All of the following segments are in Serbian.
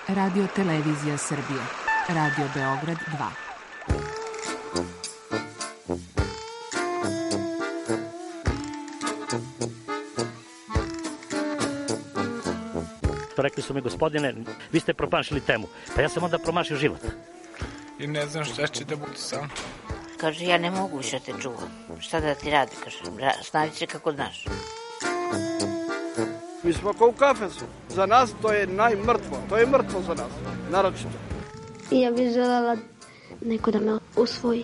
Radio Televizija Srbije. Radio Beograd 2. Rekli su mi, gospodine, vi ste promašili temu. Pa ja sam onda promašio život. I ne znam šta će da bude sam. Kaže, ja ne mogu više te čuvam. Šta da ti radi, kaže, snavi se kako znaš. Mi smo kao u kafesu. Za nas to je najmrtvo. To je mrtvo za nas, naročito. Ja bih želela neko da me usvoji.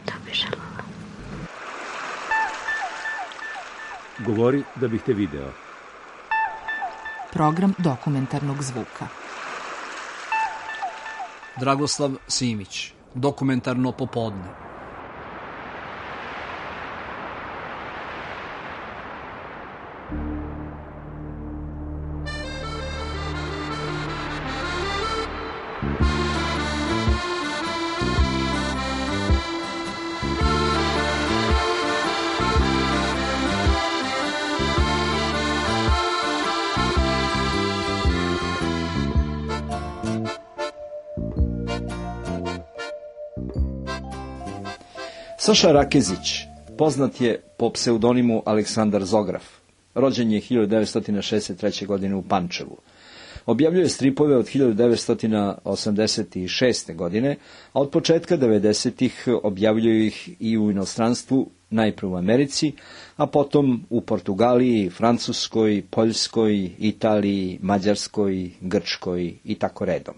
To bih želela. Govori da bih te video. Program dokumentarnog zvuka. Dragoslav Simić, dokumentarno popodne. Saša Rakezić poznat je po pseudonimu Aleksandar Zograf. Rođen je 1963. godine u Pančevu. Objavljuje stripove od 1986. godine, a od početka 90-ih objavljuje ih i u inostranstvu, najprve u Americi, a potom u Portugaliji, Francuskoj, Poljskoj, Italiji, Mađarskoj, Grčkoj i tako redom.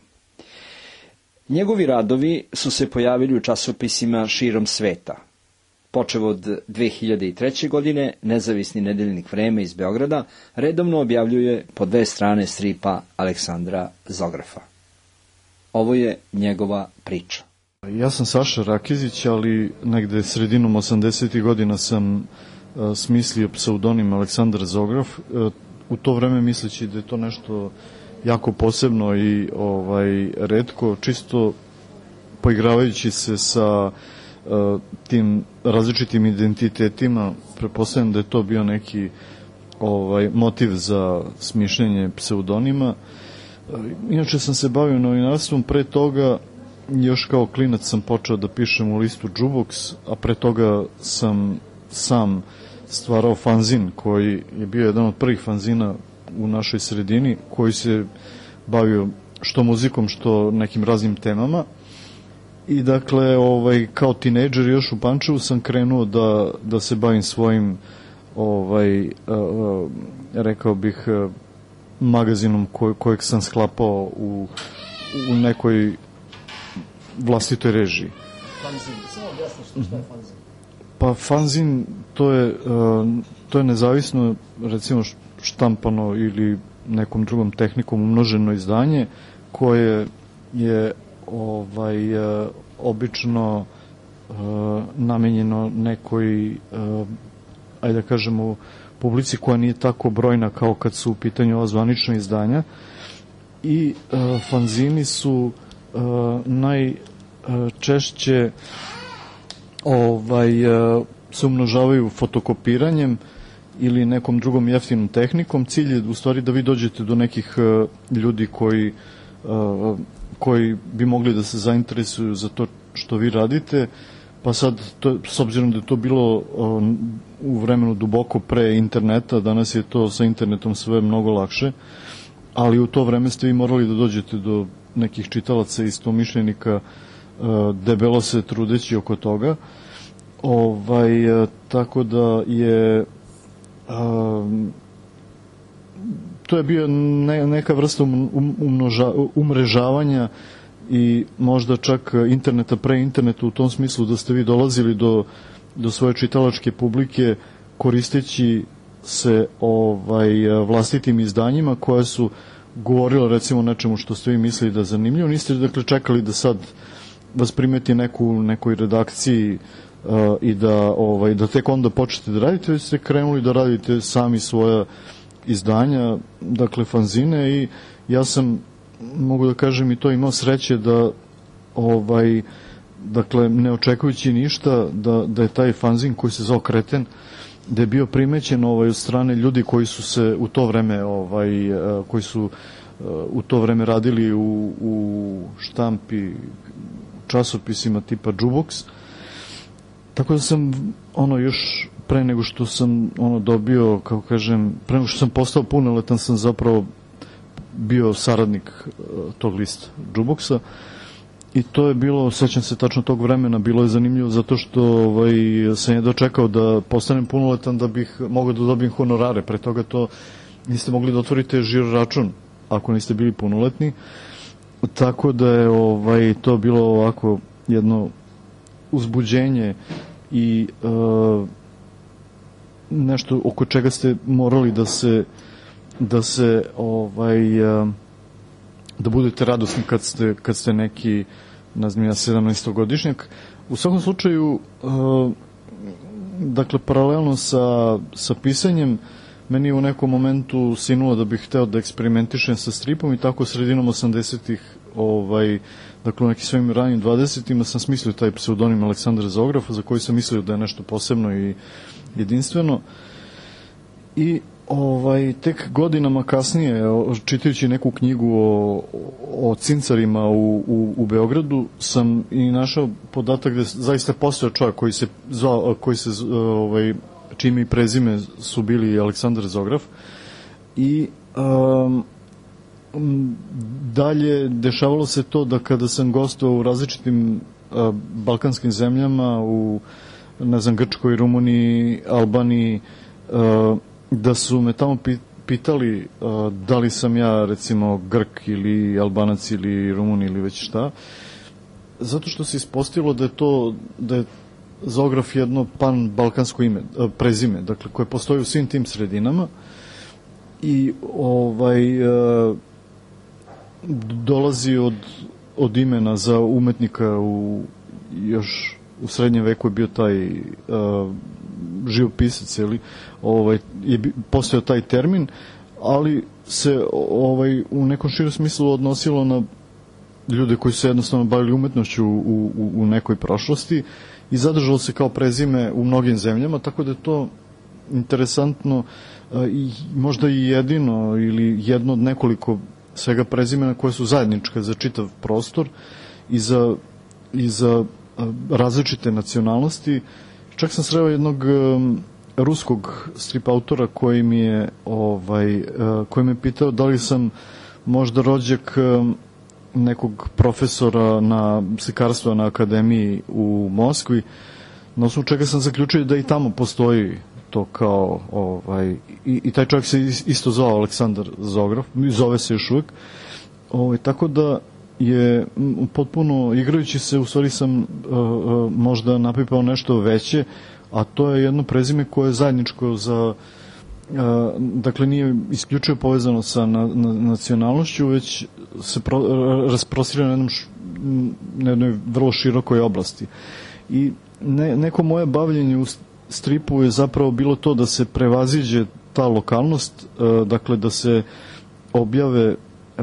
Njegovi radovi su se pojavili u časopisima širom sveta. Počev od 2003. godine, nezavisni nedeljnik Vreme iz Beograda redovno objavljuje po 2 strane stripa Aleksandra Zografa. Ovo je njegova priča. Ja sam Saša Rakezić, ali negde sredinom 80. godina sam smislio pseudonim Aleksandar Zograf. U to vreme misleći da je to nešto jako posebno i retko, čisto poigravajući se sa tim različitim identitetima, pretpostavljam da je to bio neki motiv za smišljenje pseudonima. Inače sam se bavio novinarstvom, pre toga još kao klinac sam počeo da pišem u listu Džuboks, a pre toga sam sam stvarao fanzin koji je bio jedan od prvih fanzina u našoj sredini, koji se bavio što muzikom, što nekim raznim temama. I dakle, kao tinejdžer još u Pančevu sam krenuo da se bavim svojim, rekao bih, magazinom kojeg sam sklapao u nekoj vlastitoj režiji. Fanzin, samo objasno što je fanzin. Pa fanzin, to je nezavisno, recimo, štampano ili nekom drugom tehnikom umnoženo izdanje koje je obično namenjeno nekoj, ajde da kažemo, publici koja nije tako brojna kao kad su u pitanju ova zvanična izdanja. I fanzini su najčešće se umnožavaju fotokopiranjem ili nekom drugom jeftinom tehnikom. Cilj je u stvari da vi dođete do nekih ljudi koji bi mogli da se zainteresuju za to što vi radite, pa sad, s obzirom da je to bilo u vremenu duboko pre interneta, danas je to sa internetom sve mnogo lakše, ali u to vreme ste vi morali da dođete do nekih čitalaca i istomišljenika, debelo se trudeći oko toga. Tako da je to je bio neka vrsta umrežavanja i možda čak interneta pre interneta, u tom smislu da ste vi dolazili do svoje čitalačke publike koristeći se vlastitim izdanjima koja su govorila recimo o nečemu što ste vi mislili da je zanimljivo. Niste dakle čekali da sad vas primeti nekoj redakciji i da tek onda počnete da radite, već ste krenuli da radite sami svoja izdanja, dakle fanzine, i ja sam, mogu da kažem, i to imao sreće da dakle ne očekujući ništa da je taj fanzin koji se zvao Kreten, da je bio primećen od strane ljudi koji su se u to vreme koji su u to vreme radili u štampi časopisima tipa Jukebox. Tako da sam još pre nego što sam dobio, kako kažem, pre nego što sam postao punoletan, sam zapravo bio saradnik tog lista Jukeboxa. I to je bilo, sećam se tačno tog vremena, bilo je zanimljivo zato što sam je dočekao da postanem punoletan da bih mogao da dobijem honorare. Pre toga to niste mogli da otvorite žiro račun ako niste bili punoletni. Tako da je to bilo ovako jedno uzbuđenje i nešto oko čega ste morali da budete radosni kad ste neki, ne znam ja, 17-godišnjak. U svakom slučaju, dakle, paralelno sa pisanjem, meni je u nekom momentu sinulo da bih hteo da eksperimentišem sa stripom i tako sredinom 80-ih, dakle u nekim svojim ranim 20-ima sam smislio taj pseudonim Aleksandar Zograf, za koji sam mislio da je nešto posebno i jedinstveno. I tek godinama kasnije, čitajući neku knjigu o cincarima u Beogradu, sam i našao podatak da zaista postojao čovjek čime i prezime su bili Aleksandar Zograf. I dalje dešavalo se to da kada sam gostovao u različitim balkanskim zemljama, u, ne znam, Grčkoj, Rumuniji, Albaniji, da su me tamo pitali da li sam ja, recimo, Grk ili Albanac ili Rumun ili već šta, zato što se ispostavilo da je Zograf jedno pan-balkansko prezime, dakle, koje postoji u svim tim sredinama i dolazi od imena za umetnika još u srednjem veku je bio taj živopisac, je postojao taj termin, ali se u nekom širom smislu odnosilo na ljude koji su jednostavno bavili umetnošću u nekoj prošlosti i zadržalo se kao prezime u mnogim zemljama, tako da je to interesantno i možda i jedino ili jedno od nekoliko svega prezimena koje su zajedničke za čitav prostor i za različite nacionalnosti. Čak sam sreo jednog ruskog strip autora koji me pitao da li sam možda rođak nekog profesora slikarstva na akademiji u Moskvi, na osnovu čega sam zaključio da i tamo postoji to kao i taj čovjek se isto zvao Aleksandar Zograf, zove se još uvijek, tako da je potpuno igrajući se, u stvari sam možda napipao nešto veće, a to je jedno prezime koje je zajedničko za, dakle nije isključivo povezano sa nacionalnošću, već se rasprostire na jednoj vrlo širokoj oblasti. I neko moje bavljenje u stripu je zapravo bilo to da se prevaziđe ta lokalnost, dakle da se objave,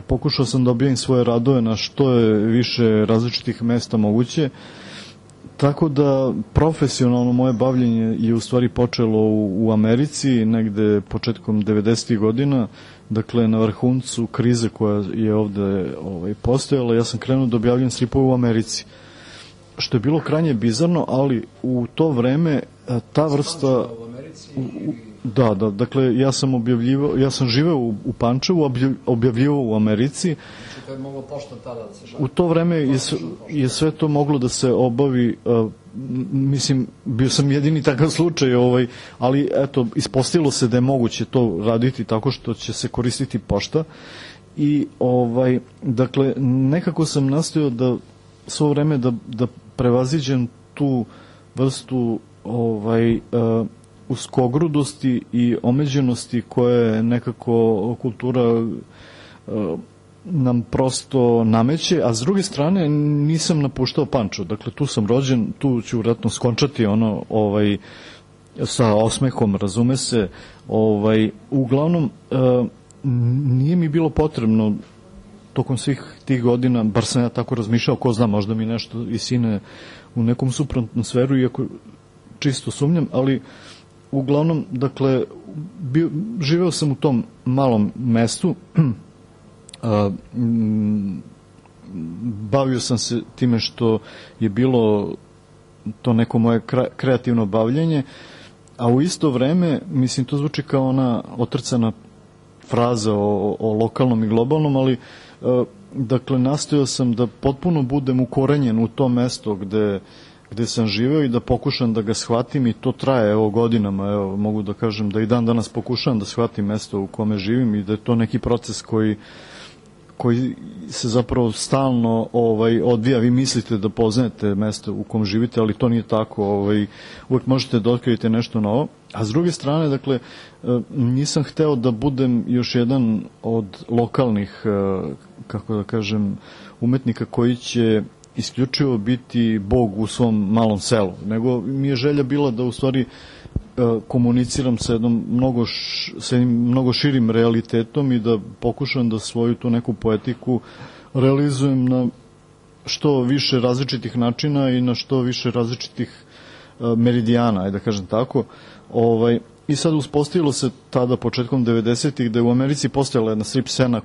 pokušao sam da objavim svoje radove na što je više različitih mesta moguće, tako da profesionalno moje bavljenje je u stvari počelo u Americi, negde početkom 90. godina, dakle na vrhuncu krize koja je ovde postojala, ja sam krenuo da objavljam stripove u Americi, što je bilo krajnje bizarno, ali u to vreme ta vrsta... Da, dakle, ja sam živeo u Pančevu, objavljivao u Americi. U to vreme je sve to moglo da se obavi, mislim, bio sam jedini takav slučaj, ali eto, ispostavilo se da je moguće to raditi tako što će se koristiti pošta i, dakle, nekako sam nastojao da svo vreme da prevaziđem tu vrstu uskogrudosti i omeđenosti koje nekako kultura nam prosto nameće, a s druge strane nisam napuštao Pančevo, dakle tu sam rođen, tu ću vjerojatno skončati sa osmehom, razume se, uglavnom nije mi bilo potrebno tokom svih tih godina, bar sam ja tako razmišljao, ko zna, možda mi nešto i sine u nekom suprotnom sferu, iako čisto sumnjam, ali uglavnom, dakle, živeo sam u tom malom mestu bavio sam se time što je bilo to neko moje kreativno bavljenje, a u isto vreme, mislim, to zvuči kao ona otrcana fraza o lokalnom i globalnom, ali dakle, nastojao sam da potpuno budem ukorenjen u to mesto gde sam živeo i da pokušam da ga shvatim, i to traje godinama. Mogu da kažem da i dan danas pokušavam da shvatim mesto u kome živim i da je to neki proces koji se zapravo stalno odvija. Vi mislite da poznajete mesto u kom živite, ali to nije tako. Uvek možete da otkrijete nešto novo. A s druge strane, dakle, nisam hteo da budem još jedan od lokalnih, kako da kažem, umetnika koji će isključivo biti Bog u svom malom selu, nego mi je želja bila da u stvari komuniciram sa jednim mnogo širim realitetom i da pokušam da svoju tu neku poetiku realizujem na što više različitih načina i na što više različitih meridijana, ajde da kažem tako. I sad uspostavilo se tada početkom 90-ih da je u Americi postojala jedna strip scena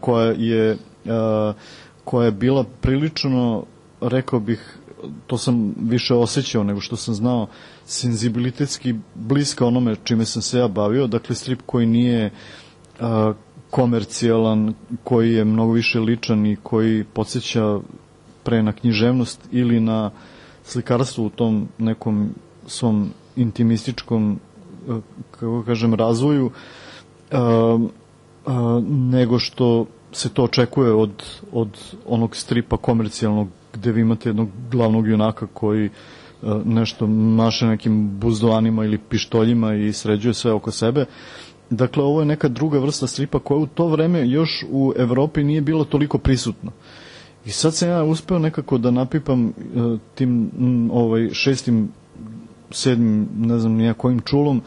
koja je bila prilično, rekao bih, to sam više osjećao nego što sam znao, senzibilitetski bliska onome čime sam se ja bavio, dakle strip koji nije komercijalan, koji je mnogo više ličan i koji podsjeća pre na književnost ili na slikarstvo u tom nekom svom intimističkom, kako kažem, razvoju, nego što se to očekuje od onog stripa komercijalnog gde vi imate jednog glavnog junaka koji nešto maše nekim buzdovanima ili pištoljima i sređuje sve oko sebe. Dakle, ovo je neka druga vrsta stripa koja u to vreme još u Evropi nije bila toliko prisutna. I sad sam ja uspeo nekako da napipam tim 6., 7., ne znam nija kojim čulom,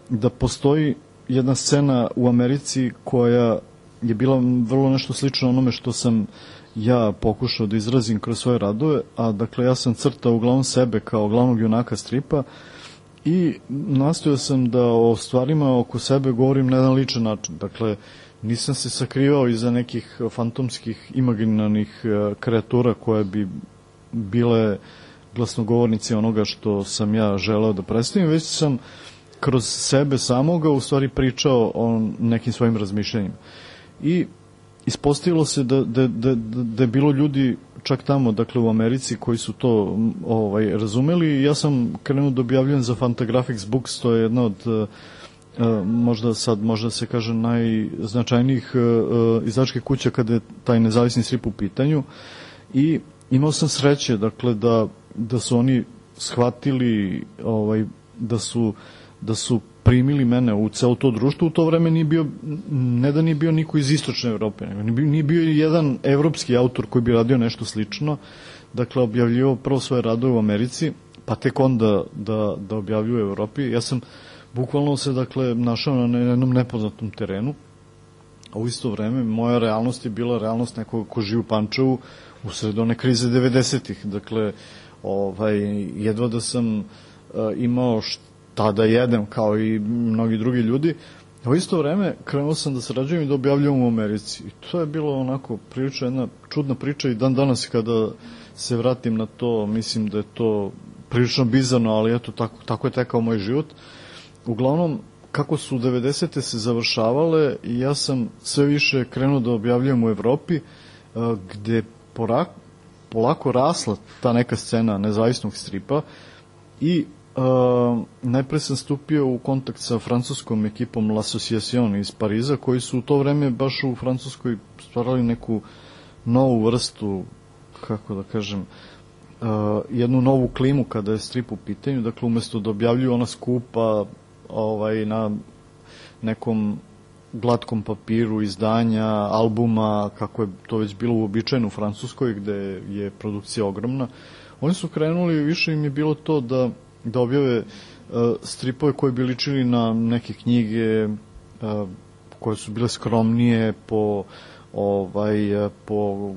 da postoji jedna scena u Americi koja je bila vrlo nešto slično onome što sam ja pokušao da izrazim kroz svoje radove, a dakle ja sam crtao uglavnom sebe kao glavnog junaka stripa i nastojao sam da o stvarima oko sebe govorim na jedan ličan način. Dakle, nisam se sakrivao iza nekih fantomskih imaginarnih kreatura koje bi bile glasnogovornici onoga što sam ja želeo da predstavim, već sam kroz sebe samoga u stvari pričao o nekim svojim razmišljanjima. I ispostavilo se da je bilo ljudi čak tamo, dakle u Americi, koji su to razumeli, i ja sam krenuo da objavljujem za Fantagraphics Books, to je jedna od možda se kaže najznačajnijih izdavačkih kuća kada je taj nezavisni strip u pitanju, i imao sam sreće, dakle, da su oni shvatili da su primili mene u celo to društvo. U to vreme nije bio niko iz istočne Evrope, nego nije bio jedan evropski autor koji bi radio nešto slično. Dakle, objavljivao prvo svoje radove u Americi, pa tek onda da objavljuje u Evropi. Ja sam bukvalno se, dakle, našao na jednom nepoznatom terenu, a u isto vreme moja realnost je bila realnost nekog ko živi u Pančevu u sred one krize 90-ih. Dakle, jedva da sam imao tada jedem kao i mnogi drugi ljudi. A u isto vreme krenuo sam da sarađujem i da objavljujem u Americi. I to je bilo onako prilično jedna čudna priča, i dan danas kada se vratim na to, mislim da je to prilično bizarno, ali eto, tako je tekao moj život. Uglavnom, kako su 90-te se završavale, ja sam sve više krenuo da objavljujem u Evropi, gde polako rasla ta neka scena nezavisnog stripa, i najpre sam stupio u kontakt sa francuskom ekipom L'Association iz Pariza, koji su u to vreme baš u Francuskoj stvarali neku novu vrstu, kako da kažem, jednu novu klimu kada je strip u pitanju. Dakle, umesto da objavljuju ona skupa na nekom glatkom papiru izdanja, albuma, kako je to već bilo uobičajeno u Francuskoj, gde je produkcija ogromna, oni su krenuli, više im je bilo to da objave stripove koji bi ličili na neke knjige koje su bile skromnije u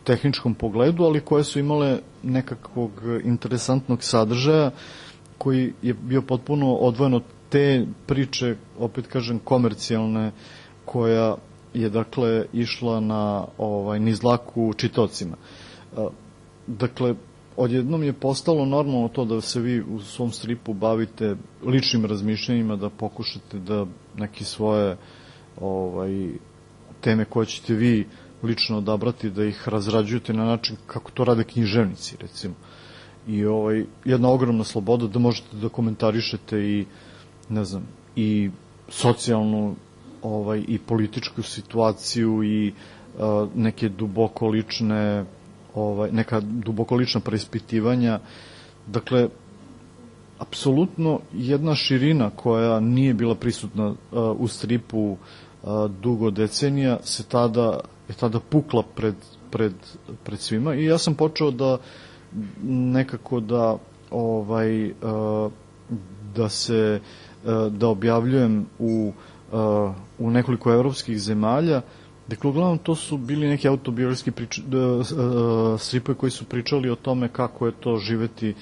tehničkom pogledu, ali koje su imale nekakvog interesantnog sadržaja koji je bio potpuno odvojen od te priče, opet kažem, komercijalne, koja je dakle išla na niz dlaku čitaocima. Dakle, odjednom je postalo normalno to da se vi u svom stripu bavite ličnim razmišljanjima, da pokušate da neke svoje teme koje ćete vi lično odabrati, da ih razrađujete na način kako to rade književnici, recimo. I jedna ogromna sloboda da možete da komentarišete i, ne znam, i socijalnu i političku situaciju i neke duboko lične neka duboko lična preispitivanja. Dakle, apsolutno jedna širina koja nije bila prisutna u stripu dugo decenija je tada pukla pred svima i ja sam počeo da nekako da objavljujem u nekoliko evropskih zemalja. Dakle, uglavnom to su bili neki autobiografski stripovi koji su pričali o tome kako je to živeti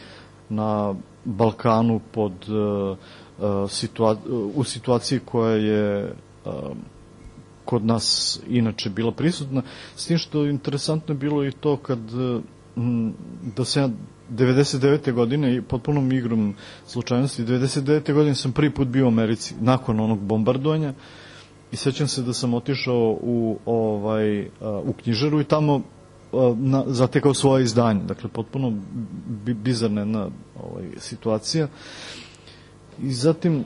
na Balkanu u situaciji koja je kod nas inače bila prisutna. S tim što interesantno je bilo i to da se ja 99. godine, potpunom igrom slučajnosti, 99. godine sam prvi put bio u Americi nakon onog bombardovanja i sećam se da sam otišao u knjižaru i tamo zatekao svoje izdanje. Dakle, potpuno bizarna jedna situacija. I zatim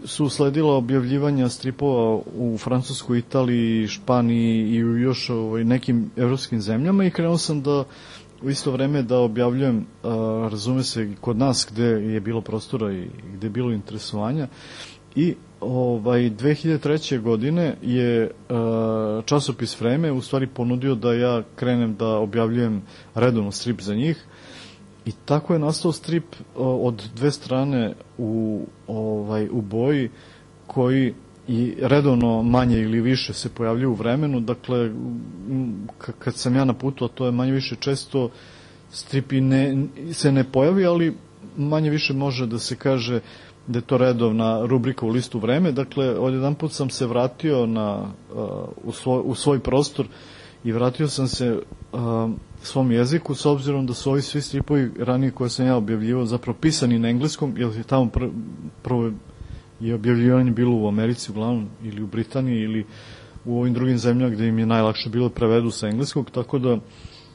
su sledila objavljivanja stripova u Francuskoj, Italiji, Španiji i u još nekim evropskim zemljama i krenuo sam da u isto vreme da objavljujem, razume se, kod nas gde je bilo prostora i gde je bilo interesovanja. I 2003. godine je časopis Vreme u stvari ponudio da ja krenem da objavljujem redovno strip za njih i tako je nastao strip od dve strane u boji koji i redovno manje ili više se pojavljuju u Vremenu. Dakle, kad sam ja na putu, a to je manje više često, strip se ne pojavi, ali manje više može da se kaže da je to redovna rubrika u listu Vreme. Dakle, odjedan put sam se vratio u svoj prostor i vratio sam se svom jeziku, s obzirom da su ovi svi stripovi ranije koje sam ja objavljivao zapravo pisani na engleskom, jer je tamo prvo je objavljivanje bilo u Americi uglavnom, ili u Britaniji, ili u ovim drugim zemljama gde im je najlakše bilo prevedu sa engleskog, tako da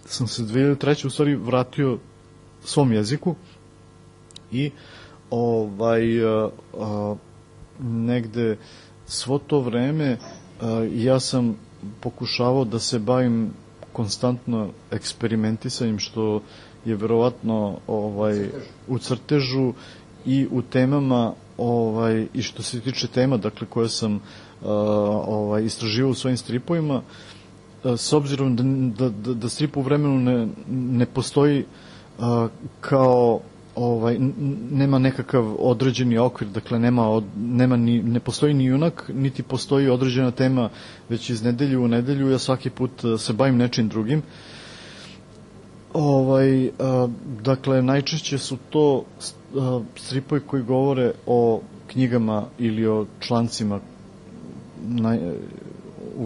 sam se 2003. u stvari vratio svom jeziku i negde svo to vreme ja sam pokušavao da se bavim konstantno eksperimentisanjem, što je verovatno u crtežu i u temama i što se tiče tema, dakle, koje sam istraživao u svojim stripovima, s obzirom da strip u Vremenu ne postoji kao nema nekakav određeni okvir, dakle ne postoji ni junak, niti postoji određena tema, već iz nedelju u nedelju ja svaki put se bavim nečim drugim. Dakle, najčešće su to stripovi koji govore o knjigama ili o člancima, u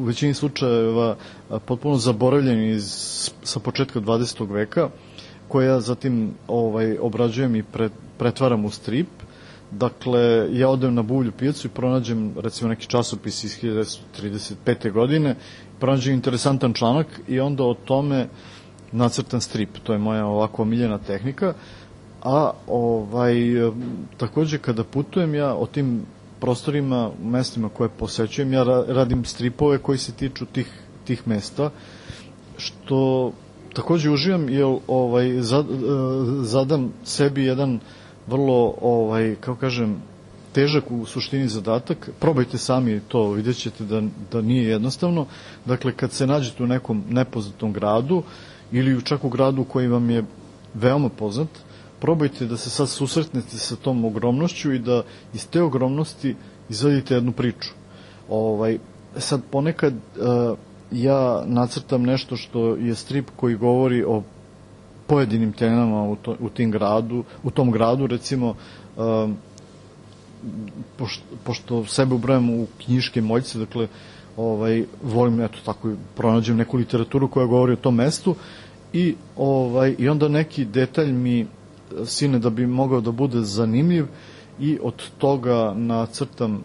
većini slučajeva potpuno zaboravljeni sa početka 20. veka, koje ja zatim obrađujem i pretvaram u strip. Dakle, ja odem na Buvlju pijacu i pronađem, recimo, neki časopis iz 1935. godine, pronađem interesantan članak i onda o tome nacrtam strip. To je moja ovako omiljena tehnika. A takođe kada putujem ja o tim prostorima, mestima koje posećujem, ja radim stripove koji se tiču tih mesta, što takođe uživam, jer zadam sebi jedan vrlo, kako kažem, težak u suštini zadatak. Probajte sami to, vidjet ćete da nije jednostavno. Dakle, kad se nađete u nekom nepoznatom gradu ili čak u gradu koji vam je veoma poznat, probajte da se sad susretnete sa tom ogromnošću i da iz te ogromnosti izvadite jednu priču. Sad ponekad ja nacrtam nešto što je strip koji govori o pojedinim temama u tom gradu, recimo pošto sebe ubrajam u knjiške moljce, dakle, volim, eto, tako, pronađem neku literaturu koja govori o tom mestu i onda neki detalj mi sine da bi mogao da bude zanimljiv i od toga nacrtam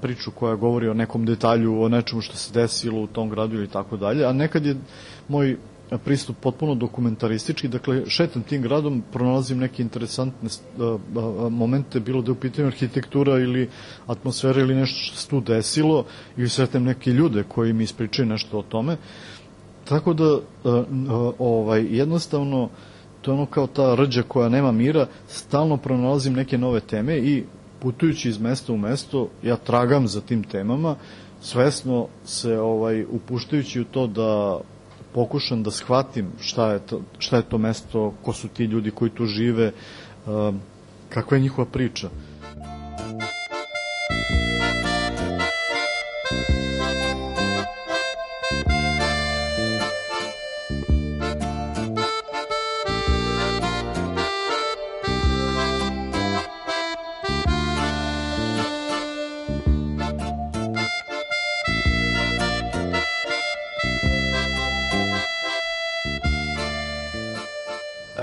priču koja govori o nekom detalju, o nečemu što se desilo u tom gradu ili tako dalje, a nekad je moj pristup potpuno dokumentaristički, dakle šetam tim gradom, pronalazim neke interesantne momente, bilo da je u pitanju arhitektura ili atmosfera ili nešto što se tu desilo, ili sretem neke ljude koji mi ispričaju nešto o tome, tako da jednostavno to je ono kao ta rđa koja nema mira, stalno pronalazim neke nove teme i putujući iz mesta u mesto, ja tragam za tim temama, svesno se upuštajući u to da pokušam da shvatim šta je to mesto, ko su ti ljudi koji tu žive, kakva je njihova priča.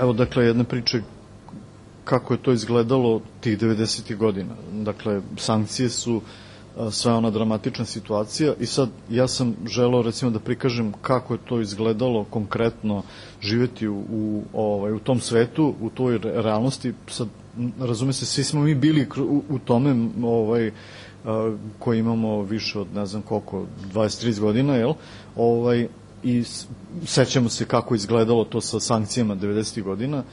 Evo, dakle, jedna priča kako je to izgledalo tih 90. godina. Dakle, sankcije su sva ona dramatična situacija i sad ja sam želeo recimo da prikažem kako je to izgledalo konkretno živeti u tom svetu, u toj realnosti. Sad, razume se, svi smo mi bili u tome koji imamo više od ne znam koliko, 20-30 godina, jel? I sećamo se kako izgledalo to sa sankcijama 90. godina.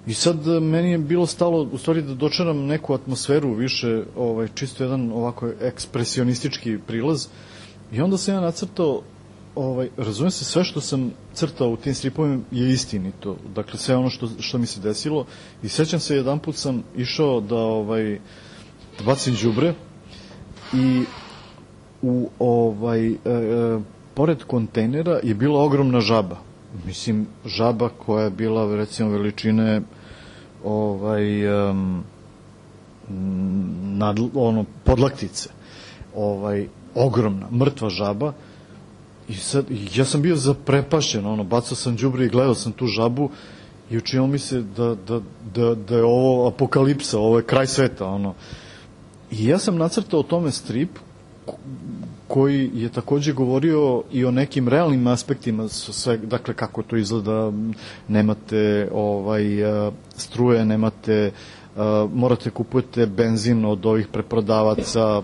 I sad meni je bilo stalo u stvari da dočaram neku atmosferu više, čisto jedan ovako ekspresionistički prilaz. I onda sam ja nacrtao, razumijem se, sve što sam crtao u tim stripovima je istinito. Dakle, sve ono što mi se desilo. I sećam se, jedan put sam išao da bacim đubre i pored kontejnera je bila ogromna žaba. Mislim, žaba koja je bila, recimo, veličine podlaktice. Ogromna, mrtva žaba. I sad, ja sam bio zaprepašćen, bacao sam đubre i gledao sam tu žabu i učinilo mi se da je ovo apokalipsa, ovo je kraj sveta, I ja sam nacrtao o tome strip koji je takođe govorio i o nekim realnim aspektima, dakle kako to izgleda, nemate struje, nemate, morate kupujete benzin od ovih preprodavaca,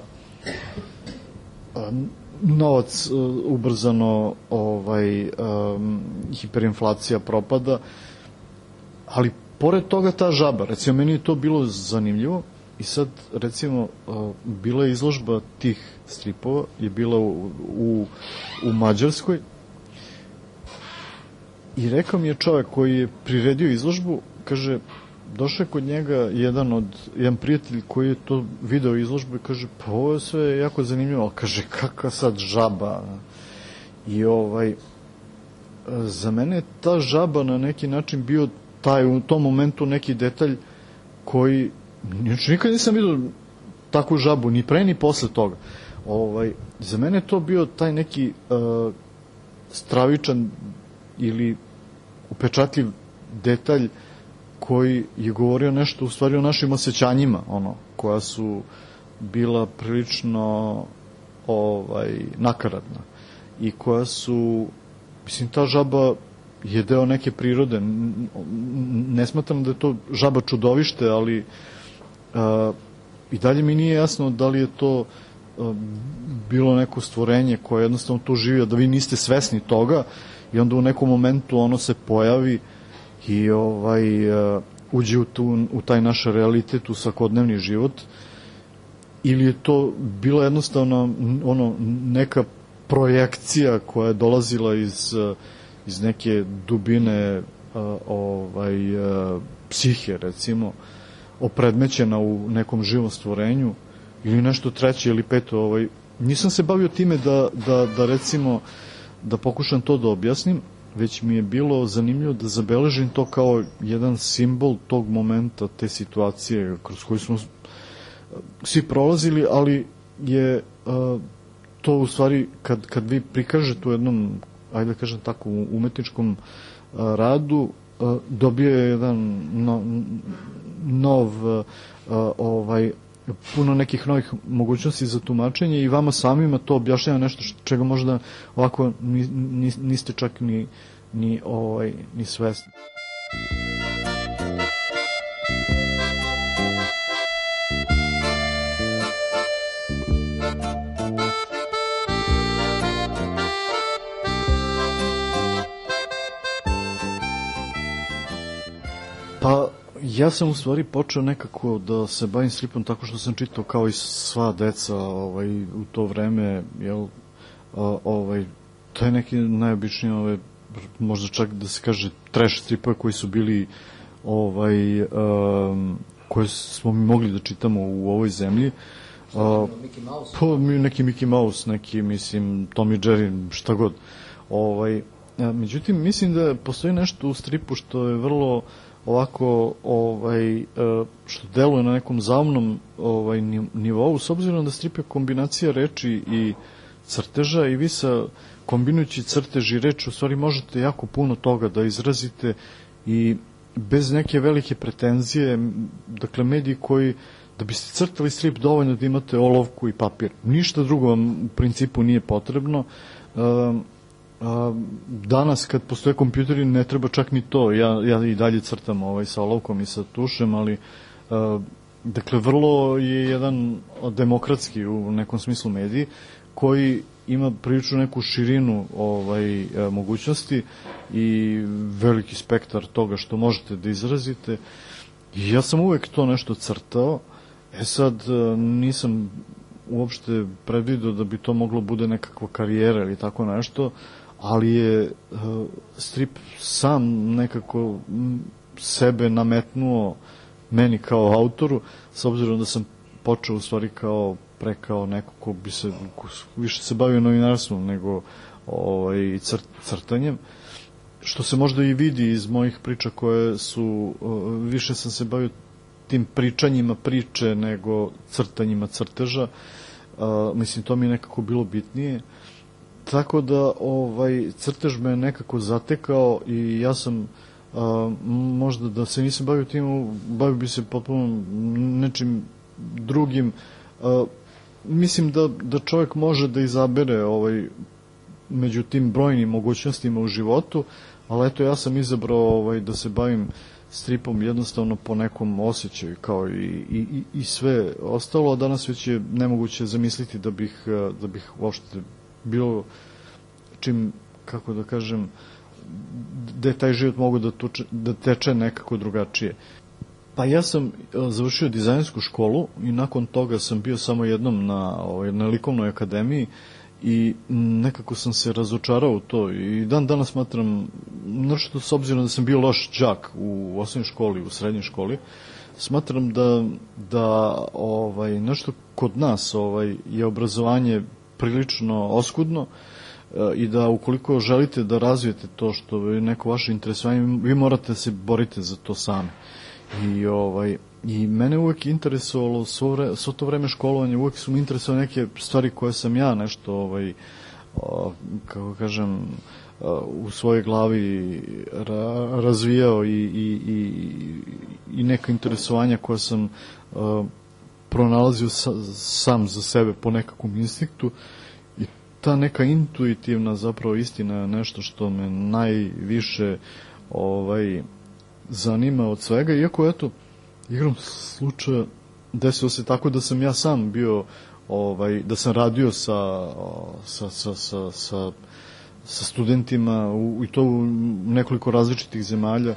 novac ubrzano, hiperinflacija propada, ali pored toga ta žaba, recimo meni je to bilo zanimljivo. I sad, recimo, bila je izložba tih stripova, je bila u Mađarskoj i rekao mi je čovjek koji je priredio izložbu, kaže, došao je kod njega jedan prijatelj koji je to video izložbu i kaže, pa ovo je sve jako zanimljivo, ali kaže, kakva sad žaba. I za mene je ta žaba na neki način bio u tom momentu neki detalj koji nikad nisam vidio takvu žabu, ni pre ni posle toga. Za mene je to bio taj neki stravičan ili upečatljiv detalj koji je govorio nešto u stvari o našim osjećanjima, koja su bila prilično nakaradna i koja su, mislim, ta žaba je deo neke prirode. Ne smatram da je to žaba čudovište, ali i dalje mi nije jasno da li je to bilo neko stvorenje koje jednostavno tu živi, a da vi niste svesni toga i onda u nekom momentu ono se pojavi i uđe u taj naš realitet, u svakodnevni život, ili je to bila jednostavno neka projekcija koja je dolazila iz neke dubine psihe, recimo, opredmećena u nekom živom stvorenju, ili nešto treće ili peto. Nisam se bavio time da recimo da pokušam to da objasnim, već mi je bilo zanimljivo da zabeležim to kao jedan simbol tog momenta, te situacije kroz koju smo svi prolazili, ali je to u stvari kad vi prikažete u jednom, ajde da kažem tako, umetničkom radu, dobio je jedan nov puno nekih novih mogućnosti za tumačenje i vama samima to objašnjava nešto čega možda ovako niste čak ni svesni. Pa, ja sam u stvari počeo nekako da se bavim stripom tako što sam čitao kao i sva deca u to vreme, to je neki najobičniji, možda čak da se kaže trash stripove koji su bili koje smo mi mogli da čitamo u ovoj zemlji. Neki Mickey Mouse, neki, mislim, Tom i Jerry, šta god. Međutim, mislim da postoji nešto u stripu što je vrlo ovako, što deluje na nekom zaumnom nivou, s obzirom da strip je kombinacija reči i crteža i vi kombinujući crtež i reč u stvari možete jako puno toga da izrazite i bez neke velike pretenzije, dakle mediji koji, da biste crtali strip dovoljno da imate olovku i papir. Ništa drugo vam u principu nije potrebno. Danas kad postoje kompjuteri ne treba čak ni to, ja i dalje crtam sa olovkom i sa tušem, ali dakle vrlo je jedan demokratski u nekom smislu mediji koji ima prilično neku širinu mogućnosti i veliki spektar toga što možete da izrazite. I ja sam uvek to nešto crtao, sad nisam uopšte predvidio da bi to moglo bude nekakva karijera ili tako nešto, ali je strip sam nekako sebe nametnuo meni kao autoru, s obzirom da sam počeo u stvari kao neko ko bi se više se bavio novinarstvom nego crtanjem, što se možda i vidi iz mojih priča koje su, više sam se bavio tim pričanjima priče nego crtanjima crteža, mislim to mi je nekako bilo bitnije, tako da crtež me nekako zatekao i ja sam možda da se nisam bavio tim, bavio bi se potpuno nečim drugim. Mislim da čovjek može da izabere među tim brojnim mogućnostima u životu, ali eto ja sam izabrao da se bavim stripom jednostavno po nekom osjećaju kao i sve ostalo, a danas već je nemoguće zamisliti da bih uopšte bilo čim, kako da kažem, da je taj život mogu da teče nekako drugačije. Pa ja sam završio dizajnsku školu i nakon toga sam bio samo jednom na likovnoj akademiji i nekako sam se razočarao u to i danas smatram, nešto s obzirom da sam bio loš đak u osnovnoj školi, u srednjoj školi, smatram da nešto kod nas je obrazovanje prilično oskudno i da ukoliko želite da razvijete to što je neko vaše interesovanje, vi morate da se borite za to sami. I mene uvek interesovalo svo to vreme školovanja, uvek su mi interesovali neke stvari koje sam ja nešto kako kažem u svojoj glavi razvijao i neka interesovanja koja sam pronalazio sam za sebe po nekakvom instinktu i ta neka intuitivna zapravo istina je nešto što me najviše zanima od svega, iako eto igrom slučaja desilo se tako da sam ja sam bio da sam radio sa studentima i to u nekoliko različitih zemalja.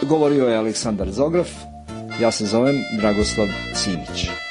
Govorio je Aleksandar Zograf, ja se zovem Dragoslav Simić.